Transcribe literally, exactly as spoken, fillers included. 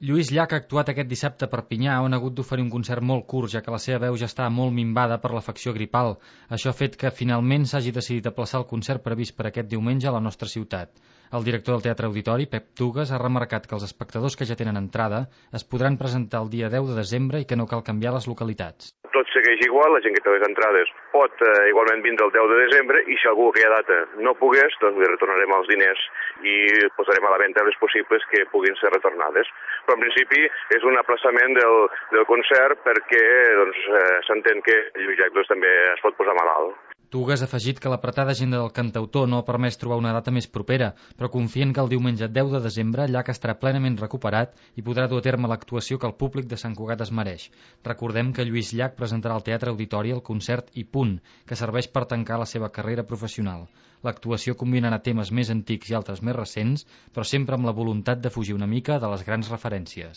Lluís Llach ha actuat aquest dissabte a Perpinyà, on ha hagut d'oferir un concert molt curt, ja que la seva veu ja està molt minvada per l'afecció gripal. Això ha fet que finalment s'hagi decidit aplaçar el concert previst per aquest diumenge a la nostra ciutat. El director del Teatre Auditori, Pep Tugues, ha remarcat que els espectadors que ja tenen entrada es podran presentar el dia deu de desembre i que no cal canviar les localitats. Tot segueix igual, la gent que té les entrades pot eh, igualment vindre el deu de desembre i si algú aquella data no pogués, doncs li retornarem els diners i posarem a la venda les possibles que puguin ser retornades. Però en principi és un aplaçament del, del concert perquè doncs, eh, s'entén que Lluís Llach doncs, també es pot posar malalt. Tugues ha afegit que l'apretada agenda del cantautor no ha permès trobar una data més propera, però confien que el diumenge deu de desembre Llach estarà plenament recuperat i podrà dur a terme l'actuació que el públic de Sant Cugat es mereix. Recordem que Lluís Llach presentarà al Teatre Auditori el concert I Punt, que serveix per tancar la seva carrera professional. L'actuació combinarà temes més antics i altres més recents, però sempre amb la voluntat de fugir una mica de les grans referències.